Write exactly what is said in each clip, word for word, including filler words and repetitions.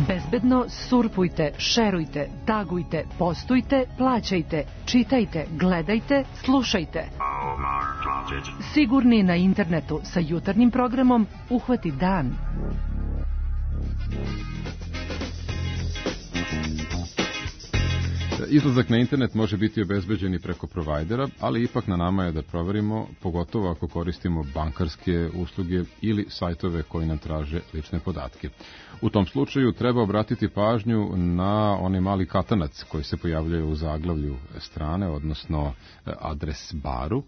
Bezbedno surfujte, šerujte, tagujte, postujte, plaćajte, čitajte, gledajte, slušajte. Sigurni na internetu sa jutarnjim programom Uhvati dan. Izlazak na internet može biti obezbeđen i preko provajdera, ali ipak na nama je da proverimo, pogotovo ako koristimo bankarske usluge ili sajtove koji nam traže lične podatke. U tom slučaju treba obratiti pažnju na onaj mali katanac koji se pojavljuje u zaglavlju strane, odnosno adres baru,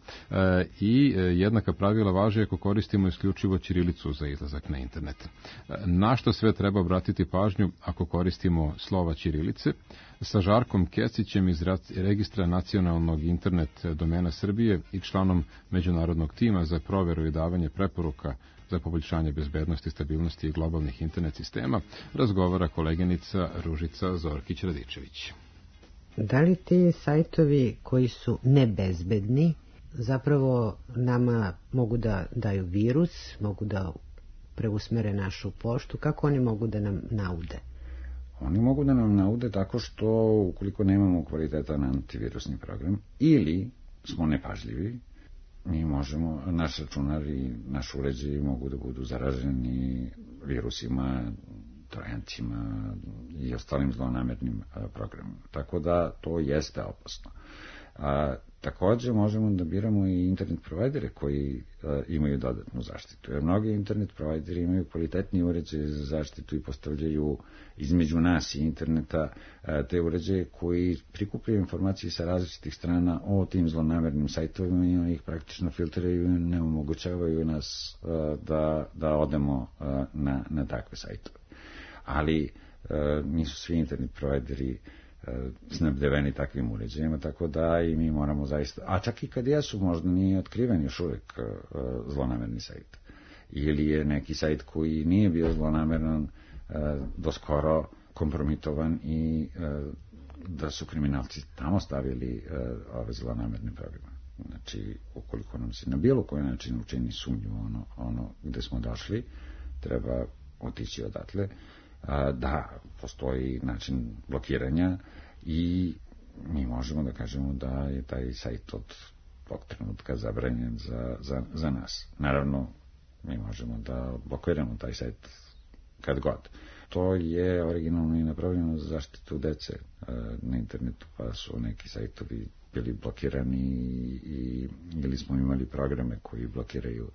i jednaka pravila važe ako koristimo isključivo ćirilicu za izlazak na internet. Na što sve treba obratiti pažnju ako koristimo slova ćirilice? Sa Žarkom Kesićem iz Registra nacionalnog internet domena Srbije i članom međunarodnog tima za proveru i davanje preporuka za poboljšanje bezbednosti, stabilnosti i globalnih internet sistema razgovara koleginica Ružica Zorkić-Radičević. Da li ti sajtovi koji su nebezbedni zapravo nama mogu da daju virus, mogu da preusmere našu poštu, kako oni mogu da nam naude? Oni mogu da nam naude tako što ukoliko nemamo kvalitetan antivirusni program ili smo nepažljivi, mi možemo, naš računar i naš uređaj mogu da budu zaraženi virusima, trojancima i ostalim zlonamernim programima. Tako da to jeste opasno. A, takođe možemo da biramo i internet provajdere koji a, imaju dodatnu zaštitu. Jer mnogi internet provajderi imaju kvalitetni uređaje za zaštitu i postavljaju između nas i interneta a, te uređaje koji prikupljaju informacije sa različitih strana o tim zlonamernim sajtovima i oni ih praktično filtriraju i ne omogućavaju nas a, da, da odemo a, na, na takve sajtove. Ali a, nisu svi internet provajderi snabdeveni takvim uređajima, tako da i mi moramo zaista, a čak i kad jesu, možda nije otkriven još uvek zlonamerni sajt. Ili je neki sajt koji nije bio zlonameran do skoro kompromitovan i da su kriminalci tamo stavili ove zlonamerne programe. Znači, ukoliko nam se na bilo koji način učini sumnju ono, ono gde smo došli, treba otići odatle. Da, postoji način blokiranja i mi možemo da kažemo da je taj sajt od tog trenutka zabranjen za, za, za nas. Naravno, mi možemo da blokiramo taj sajt kad god. To je originalno i napravljeno za zaštitu dece na internetu, pa su neki sajtovi bili blokirani i, ili smo imali programe koji blokiraju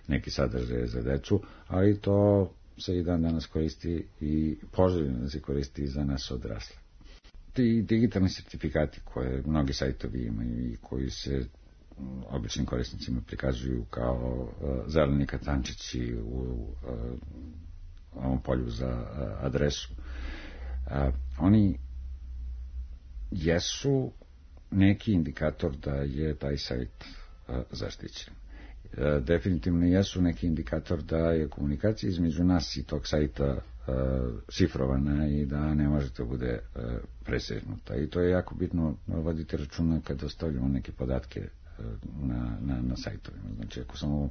neki sadržaje za decu, ali to se i dan danas koristi i poželjno da se koristi za nas odrasle. Ti digitalni sertifikati koje mnogi sajtovi imaju i koji se običnim korisnicima prikazuju kao uh, zeleni katančići u uh, ovom polju za uh, adresu, uh, oni jesu neki indikator da je taj sajt uh, zaštićen. Definitivno jesu neki indikator da je komunikacija između nas i tog sajta uh, šifrovana i da ne može da bude uh, presegnuta. I to je jako bitno voditi računa kada ostavljamo neke podatke uh, na, na, na sajtovima. Znači, ako samo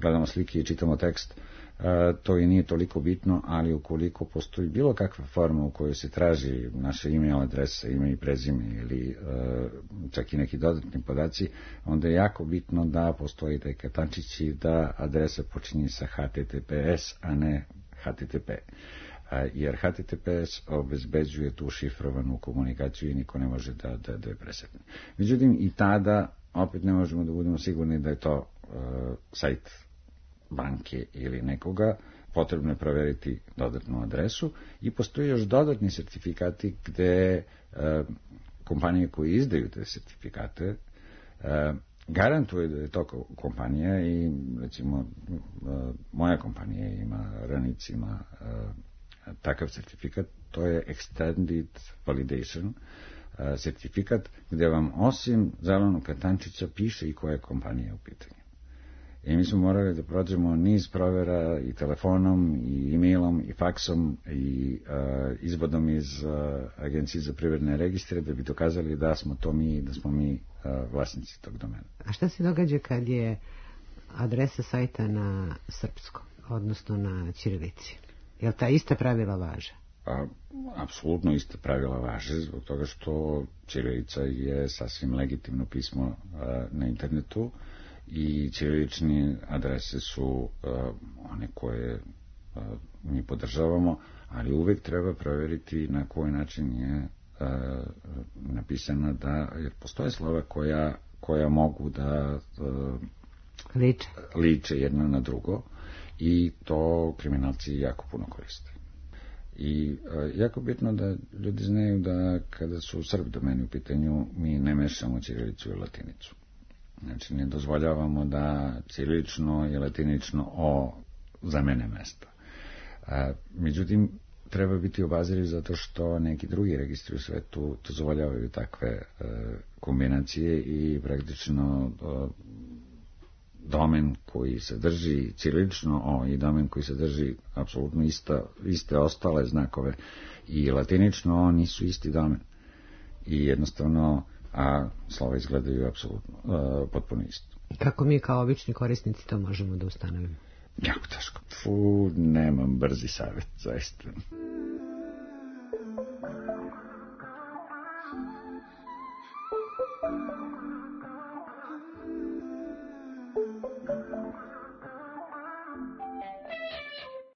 gledamo slike i čitamo tekst, uh, to i nije toliko bitno, ali ukoliko postoji bilo kakva forma u kojoj se traži naše email adresa, ime i prezime ili uh, čak i neki dodatni podaci, onda je jako bitno da postoji taj katančić i da adresa počinje sa H T T P S, a ne H T T P. Uh, jer H T T P S obezbeđuje tu šifrovanu komunikaciju i niko ne može da, da, da je presekne. Međutim, i tada opet ne možemo da budemo sigurni da je to uh, sajt banke ili nekoga, potrebno je proveriti dodatnu adresu i postoji još dodatni sertifikati gde e, kompanije koje izdaju te sertifikate e, garantuje da je to kompanija i recimo e, moja kompanija ima Ranic ima e, takav sertifikat, to je Extended Validation e, sertifikat gde vam osim zelenog katančića piše i koja je kompanija u pitanju. I mi smo morali da prođemo niz provera i telefonom, i e-mailom, i faksom, i uh, izvodom iz uh, Agencije za privredne registre da bi dokazali da smo to mi, da smo mi uh, vlasnici tog domena. A šta se događa kad je adresa sajta na srpskom, odnosno na ćirilici? Jel ta ista pravila važe? A, apsolutno ista pravila važe, zbog toga što ćirilica je sasvim legitimno pismo a, na internetu i ćirilične adrese su a, one koje a, mi podržavamo, ali uvek treba proveriti na koji način je a, napisana, da, jer postoje slova koja, koja mogu da a, liče. liče jedno na drugo i to kriminalci jako puno koriste. I a, jako bitno da ljudi znaju da kada su Srb domeni u pitanju, mi ne mešamo ćirilicu i latinicu. Znači, ne dozvoljavamo da ćirilično i latinično o zamene mesto. A, međutim, treba biti obaziriv zato što neki drugi registri u svetu dozvoljavaju takve e, kombinacije i praktično e, domen koji sadrži ćirilično o i domen koji sadrži apsolutno ista, iste ostale znakove i latinično o nisu isti domen. I jednostavno, a slova izgledaju apsolutno uh, potpuno isto. Kako mi kao obični korisnici to možemo da ustanovimo? Jako teško. Fu, nemam brzi savjet, zaista.